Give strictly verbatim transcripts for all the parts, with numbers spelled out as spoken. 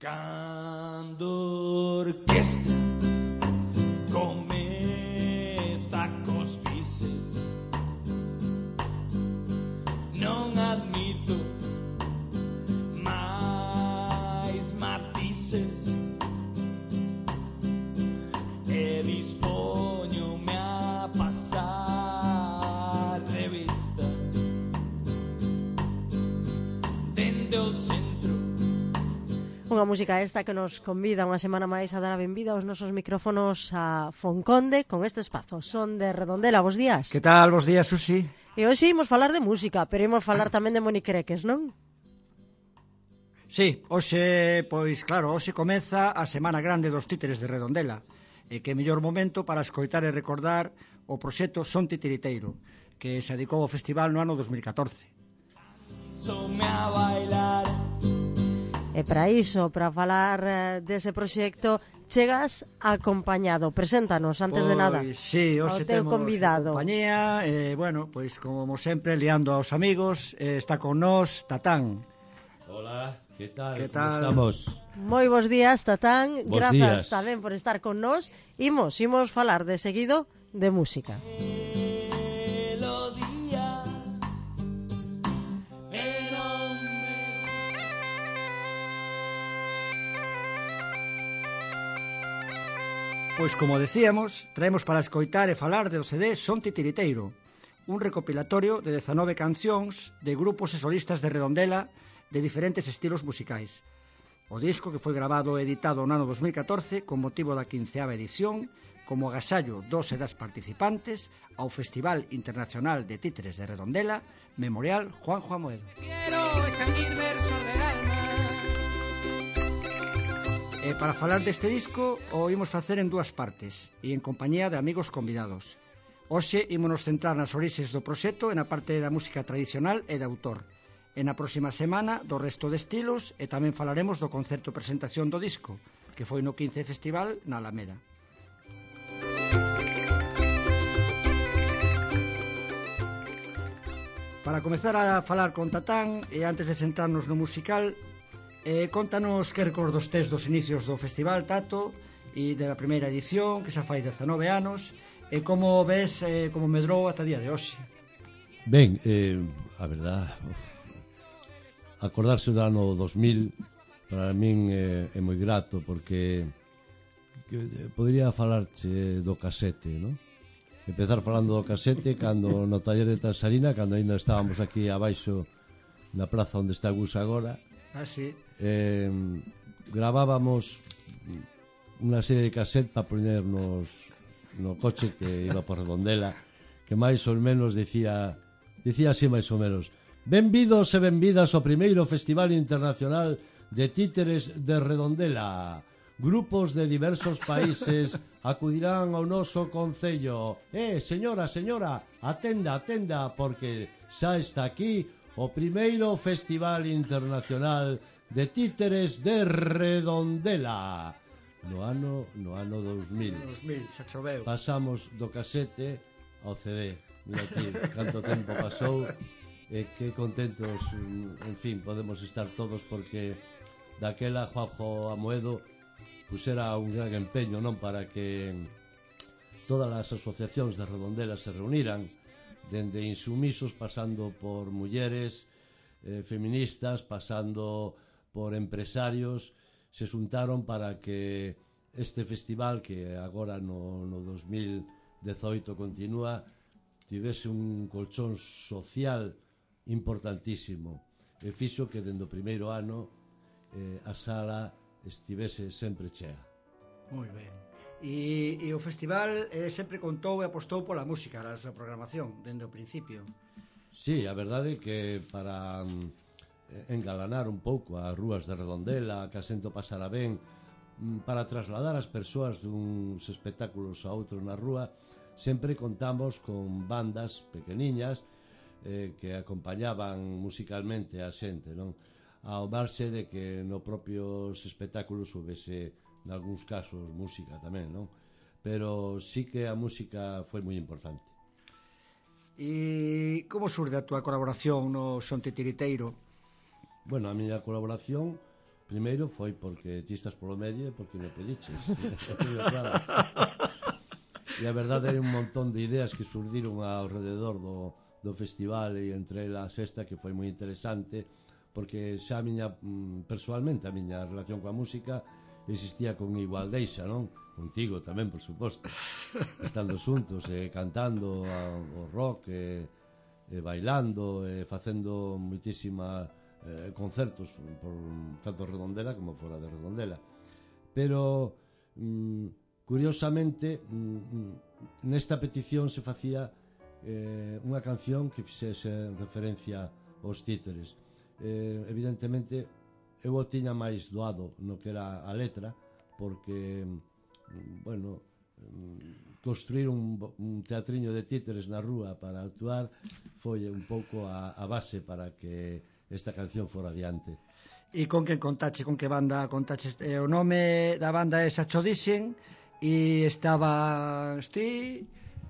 Cando orquestra comeza cos bises, non admito máis matices e dispoñome a pasar revista dende o centro. Unha música esta que nos convida unha semana máis a dar a benvida aos nosos micrófonos a Fonconde con este espazo. Son de Redondela, bos días. Que tal, bos días, Susi? E hoxe imos falar de música, pero imos falar tamén de monicreques, non? Sí, hoxe, pois claro, hoxe comeza a Semana Grande dos Títeres de Redondela, e que mellor momento para escoitar e recordar o proxecto Son Titiriteiro, que se dedicou ao festival no ano dos mil catorce. Some a bailar. E para iso, para falar dese proxecto, chegas acompañado. Preséntanos, antes pois, de nada, sí, ao hoxe teu temos convidado. compañía, e, bueno, pois como sempre, liando aos amigos, eh, está con nós Tatán. Hola, que tal? Que Como tal? estamos? Moi bons días, Tatán. Bos Grazas días. tamén por estar con nós. Imos, imos falar de seguido de música. Melodía e non me... Pois como decíamos, traemos para escoitar e falar do C D Son Titiriteiro, un recopilatorio de dezanove cancións de grupos e solistas de Redondela de diferentes estilos musicais. O disco, que foi grabado e editado no ano dos mil catorce con motivo da quinceava edición, como agasallo dos e das participantes ao Festival Internacional de Títeres de Redondela, Memorial Juanjo Amoedo. Quiero exhibir versos del alma. E para falar deste disco o imos facer en dúas partes e en compañía de amigos convidados. Hoxe ímonos centrar nas orixes do proxecto e na parte da música tradicional e de autor. E na próxima semana do resto de estilos e tamén falaremos do concerto presentación do disco, que foi no quince Festival na Alameda. Para comezar a falar con Tatán e antes de centrarnos no musical, Eh, contanos que recordos tes dos inicios do festival, Tato, e da primeira edición, que xa fai dezanove anos, e como ves eh, como medrou ata día de hoxe. Ben, eh, a verdad, uf, acordarse do ano dos mil para min eh, é moi grato, porque que, eh, podría falarche do casete, non? Empezar falando do casete cando no taller de Tansarina, cando ainda estábamos aquí abaixo na praza onde está Gus agora. Ah, sí. Eh, gravábamos unha serie de cassette para ponernos no coche que iba por Redondela, que máis ou menos dicía dicía así máis ou menos: benvidos e benvidas ao primeiro Festival Internacional de Títeres de Redondela. Grupos de diversos países acudirán ao noso concello. Eh, señora, señora, atenda, atenda, porque xa está aquí o primeiro Festival Internacional de Títeres de Redondela. No ano, no ano dos mil. dos mil, xa choveu. Pasamos do casete ao C D. Mira aquí, canto tempo pasou. E que contentos, en fin, podemos estar todos, porque daquela Juanjo Amoedo pusera un gran empeño, non, para que todas as asociacións de Redondela se reuniran, dende insumisos, pasando por mulleres eh, feministas, pasando por empresarios, se xuntaron para que este festival, que agora no, no dos mil dezoito continúa, tivese un colchón social importantísimo, e fixo que dende o primeiro ano eh, a sala estivese sempre chea. Moi ben. E, e o festival eh, sempre contou e apostou pola música, a súa programación, dende o principio. Sí, a verdade é que para mm, engalanar un pouco as rúas de Redondela, que a xente pasara ben, mm, para trasladar as persoas duns espectáculos a outros na rúa, sempre contamos con bandas pequeniñas eh, que acompañaban musicalmente a xente, non? Ao marxe de que no propios espectáculos houvese, nalgúns casos, música tamén, non? Pero sí que a música foi moi importante. E como surde a túa colaboración no Son Titiriteiro? Bueno, a miña colaboración primeiro foi porque ti estás polo medio e porque me pediches. Claro. E a verdade hai un montón de ideas que surdiron ao rededor do, do festival, e entre elas esta que foi moi interesante, porque xa a miña, personalmente, a miña relación coa música existía con Igualdeixa, non? Contigo tamén, por suposto, estando xuntos, e cantando o rock, e, e bailando, e facendo moitísima eh, concertos por tanto Redondela como fora de Redondela. Pero mm, curiosamente mm, nesta petición se facía eh, unha canción que fixese referencia aos títeres. Eh, evidentemente eu o tiña máis doado no que era a letra, porque bueno, construir un, un teatriño de títeres na rúa para actuar foi un pouco a, a base para que esta canción fora adiante. E con quen contache, con que banda contache? Eh, o nome da banda é Sacho Dixen, e estaba ti,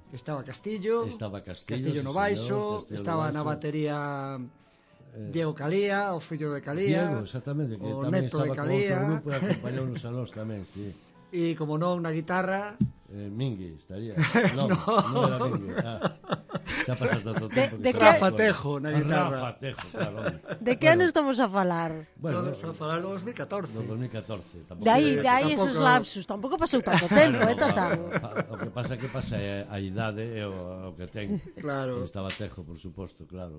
estaba Castillo, estaba Castillo, Castillo no baixo, estaba na batería Diego Calía, o fillo de Calía, Diego, exactamente, que o tamén neto de estaba con Calía, outro grupo e acompañounos a nós tamén, sí. E como non, na guitarra eh, Mingui estaría. Non, no, non era Mingui. Ah, xa pasas todo o tempo. De, de que que... Rafa Tejo na guitarra. Rafa Tejo, claro. De que ano Bueno, estamos a falar? bueno, Estamos a falar do dos mil catorce. no dos mil catorce. Tampouco- De aí, Sí, de aí tampouco- esos lapsus. Tampouco pasou tanto tempo, eh, No, Tatán? a- O que pasa que pasa é a idade e o, o que ten. Claro. Estaba Tejo, por suposto, claro.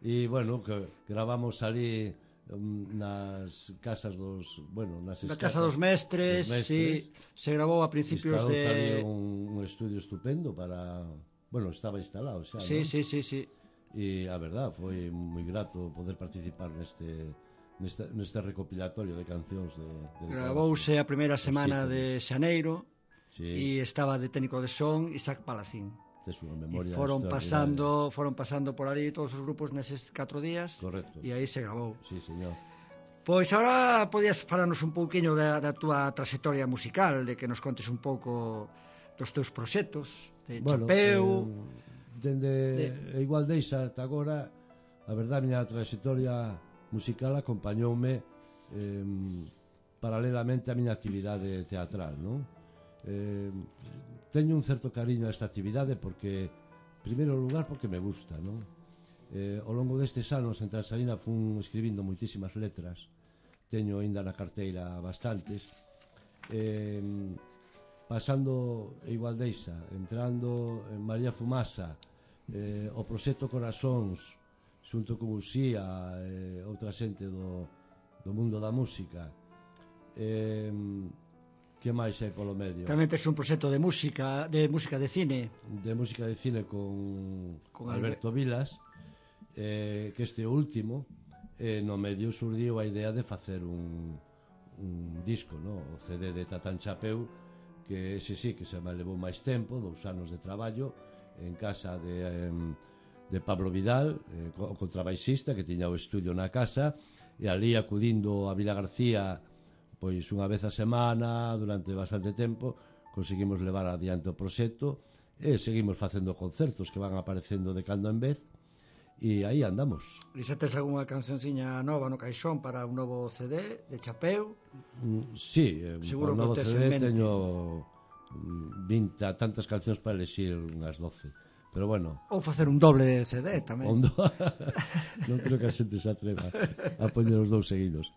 E, bueno, que gravamos ali um, nas casas dos... Bueno, nas Na escasas, casa dos mestres, dos sí, se grabou a principios Instalou ali de... un, un estudio estupendo para... Bueno, estaba instalado xa, Sí, ¿no? sí, sí, sí. E a verdad, foi moi grato poder participar neste neste, neste recopilatorio de cancións de, de Gravouse a primeira semana títeres. de xaneiro, sí, e estaba de técnico de son Isaac Palacín. tes unha E memoria foron extraordinaria. pasando, foron pasando por ali todos os grupos neses catro días. Correcto. E aí se grabou. Sí, señor. Pois agora podías falarnos un pouquiño da, da túa trayectoria musical, de que nos contes un pouco dos teus proxectos, de Bueno, Chapeu, eh, dende de- de... Igualdeixa ata agora, a verdade, a miña trayectoria musical acompañoume eh, paralelamente á miña actividade teatral, non? Eh, teño un certo cariño a esta actividade porque, en primeiro lugar, porque me gusta, non? Eh, ao longo destes anos en Transalina fun escribindo moitísimas letras, teño aínda na carteira bastantes, eh, pasando Igualdeixa, entrando en María Fumasa, eh, o proxecto Corazóns, xunto con Uxía e eh, outra xente do, do mundo da música. Eh, que máis é polo medio? tamén tes un proxecto de música, de música de cine. De música de cine con, Con Alberto Vilas, eh, que este último, eh, no medio surdiu a idea de facer un, un disco, no? O C D de Tatán Chapeu, que ese sí que se me levou máis tempo, dous anos de traballo en casa de, de Pablo Vidal, eh, o contrabaixista, que tiña o estudio na casa, e ali acudindo a Vila García pois unha vez a semana durante bastante tempo conseguimos levar adiante o proxecto e seguimos facendo concertos que van aparecendo de cando en vez e aí andamos. E xa tes algunha cancionciña nova no caixón para un novo C D de Chapeu? Mm, sí, eh, Seguro por novo que o tes C en D mente. teño mm, vinte tantas cancións para elexir unhas doce, pero bueno, Ou facer un doble de C D tamén. Ondo. Non creo que a xente se atreva a poñer os dous seguidos.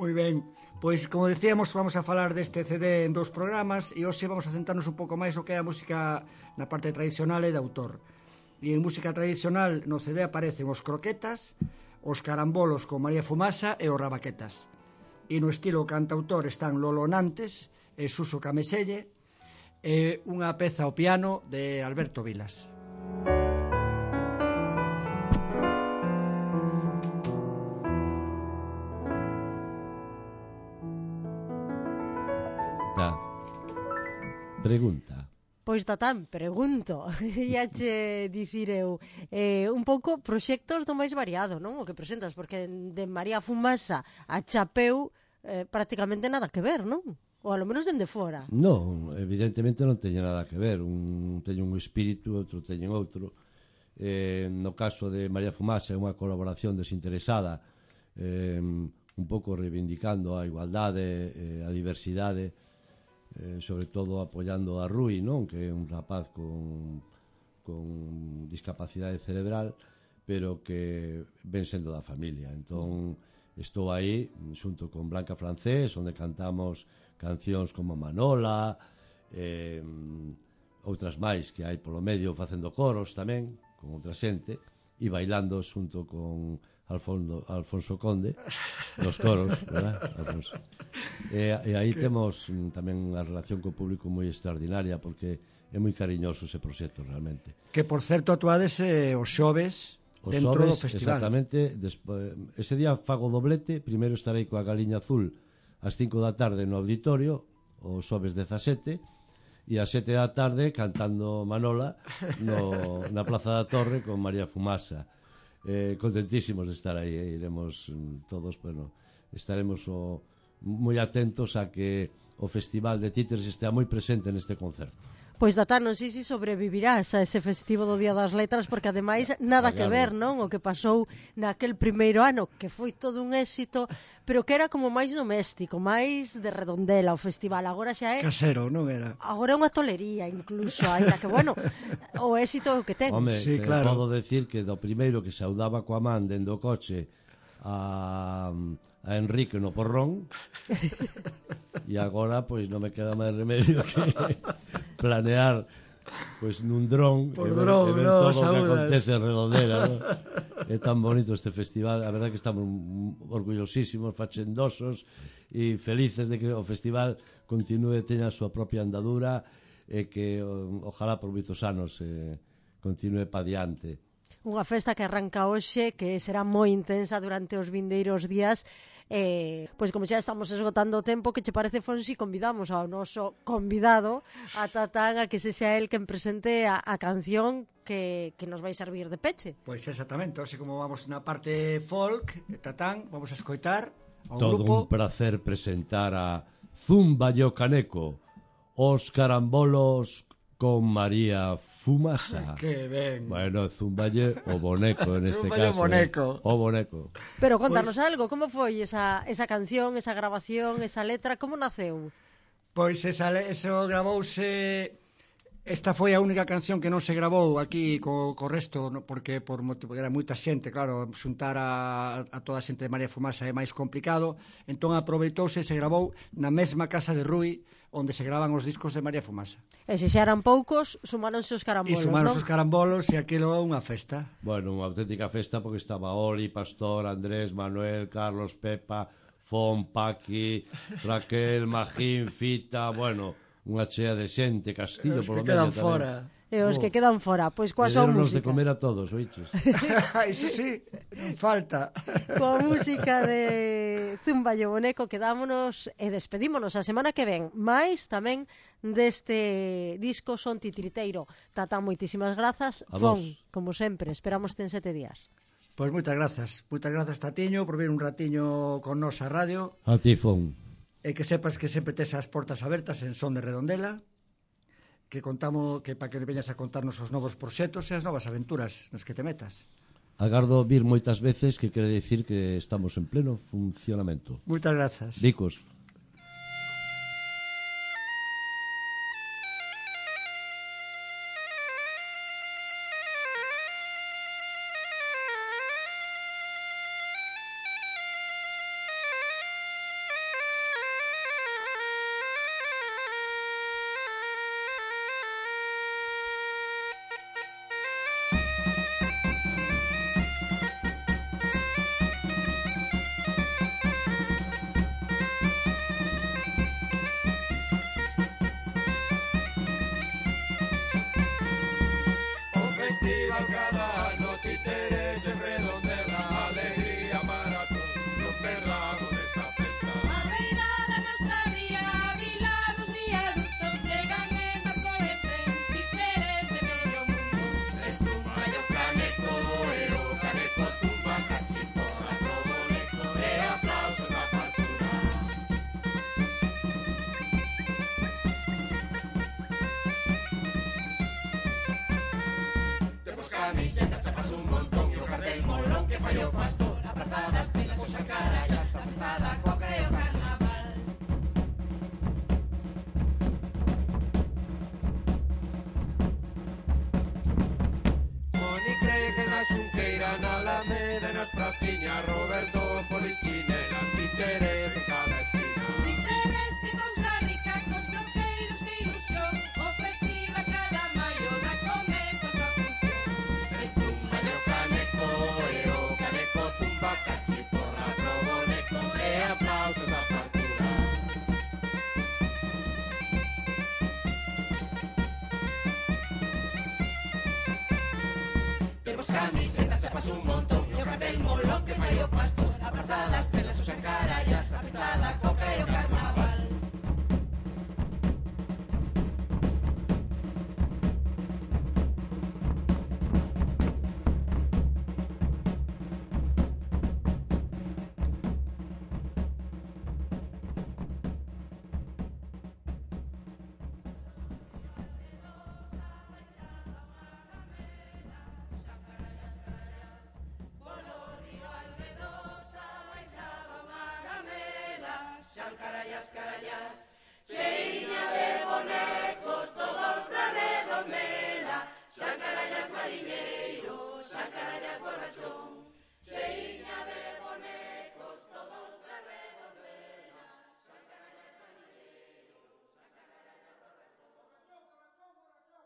Moi ben, pois como decíamos, vamos a falar deste C D en dous programas e hoxe vamos a centrarnos un pouco máis o que é a música na parte tradicional e de autor. E en música tradicional no C D aparecen os croquetas, os carambolos con María Fumasa e os rabaquetas. E no estilo cantautor están Lolo Nantes e Suso Cameselle e unha peza ao piano de Alberto Vilas. Da. Pregunta. Pois Tatán, pregunto, iache dicir eu, eh, un pouco proxectos do máis variado, non? O que presentas, porque de María Fumasa a Chapeu eh, prácticamente nada que ver, non? Ou alo menos dende fora. Non, evidentemente non teña nada que ver. Un teño un espírito, outro teñen outro. Eh, no caso de María Fumasa é unha colaboración desinteresada eh, un pouco reivindicando a igualdade, eh, a diversidade, eh, sobre todo apoiando a Rui, non? Que é un rapaz con, con discapacidade cerebral, pero que ven sendo da familia. Entón, estou aí, xunto con Blanca Francés, onde cantamos cancións como Manola, eh, outras máis que hai polo medio facendo coros tamén, con outra xente, e bailando xunto con Alfonso, Alfonso Conde nos coros, verdad? Alfonso. E, e aí temos mm, tamén unha relación co público moi extraordinaria, porque é moi cariñoso ese proxecto realmente. Que, por certo, actuades eh, os xoves Os dentro xoves, do festival. exactamente, despo, ese día fago doblete, primeiro estarei coa Galiña Azul ás cinco da tarde no auditorio, os xoves dezasete, e ás sete da tarde cantando Manola no, na Plaza da Torre con María Fumasa. Eh, contentísimos de estar aí, eh? Iremos mm, todos, bueno, estaremos o, moi atentos a que o Festival de Títeres estea moi presente neste concerto. Pois, Tatá, non sei se sobrevivirás a ese festivo do Día das Letras, porque ademais nada que ver, non? O que pasou naquel primeiro ano, que foi todo un éxito, pero que era como máis doméstico, máis de Redondela o festival. Agora xa é... Casero, non era? Agora é unha tolería, incluso, ainda que, bueno, o éxito é o que ten. Home, Sí, te claro. podo decir que do primeiro que saudaba coa man dende o coche a, a Enrique no porrón, e agora pois non me queda máis remedio que planear pois nun dron Por e ver, dron, e ver no, todo o que saúdas. acontece en Redondela, ¿no? É tan bonito este festival, a verdade que estamos orgullosísimos, fachendosos e felices de que o festival continúe, teña a súa propia andadura e que o, ojalá por moitos anos eh, continúe pa diante. Unha festa que arranca hoxe, que será moi intensa durante os vindeiros días. Eh, pois como xa estamos esgotando o tempo, que che parece, Fonsi, convidamos ao noso convidado, a Tatán, a que se sea el quen presente a, a canción que, que nos vai servir de peche. Pois exactamente, así como vamos na parte folk, Tatán, vamos a escoitar ao Todo grupo. un placer presentar a Zumba yo Caneco, os carambolos con María Fumasa. Que ben. Bueno, Zumballe o boneco en este Zumballe o caso. boneco. Eh? O boneco. Pero contanos pues... algo, como foi esa, esa canción, esa grabación, esa letra, como naceu? Pois esa, eso gravouse... Esta foi a única canción que non se grabou aquí co, co resto, no, porque por motivo, era moita xente, claro, xuntar a, a toda a xente de María Fumasa é máis complicado, entón aproveitouse e se grabou na mesma casa de Rui, onde se graban os discos de María Fumasa. E se xa eran poucos, sumáronse os carambolos, E sumáronse non? os carambolos e aquilo é unha festa. Bueno, unha auténtica festa porque estaba Oli, Pastor, Andrés, Manuel, Carlos, Pepa, Fon, Paqui, Raquel, Magín, Fita, bueno, unha chea de xente, Castillo, Os polo que medio quedan tamén. fora. E os Oh. que quedan fora, pois coa súa Derónos de música. comer a todos, oiches? Iso sí, non falta. Coa música de Zumba e o Boneco quedámonos e despedímonos a semana que ven, máis tamén deste disco Son Titiriteiro. Tatá, moitísimas grazas. A Fon, vos. como sempre, esperamos ten sete días. Pois moitas grazas, moitas grazas Tatiño por vir un ratiño con nos a radio A ti, Fon. e que sepas que sempre tes as portas abertas en Son de Redondela, que contamos que para que veñas a contarnos os novos proxectos e as novas aventuras nas que te metas. Agardo vir moitas veces, que quere dicir que estamos en pleno funcionamento. Moitas grazas. Dicos. O festival cada ano Títeres en Redondela, alegría para todos, non perdamos esta festa. A reinada nos abría, vilados, viaductos, chegan en barco e tren, Títeres de medio mundo. E zumba e o caneco, e o caneco zumba cachimbo, a pro boneco, e aplausos a fartura. Temos camisetas, chapas un montón, e o cartel molón que fai o pastor, a praza das pelas, o xacarallas, a festa da coca e o carnaval. Moni cree que na Xunqueira, na Alameda e nas praciñas, Roberto, Polichinela, títeres en cada esquina. Títeres, que cousa rica, cos xoqueiros, que ilusión. O festival cada maio da comezo a súa función. Es un maño caneco, e o caneco zumba cachiporra, proboneco e aplausos a fartura. Temos camisetas, chapas un montón, e o cartel molón que fai o pastor. A praza das perlas, os encarallas, a festa da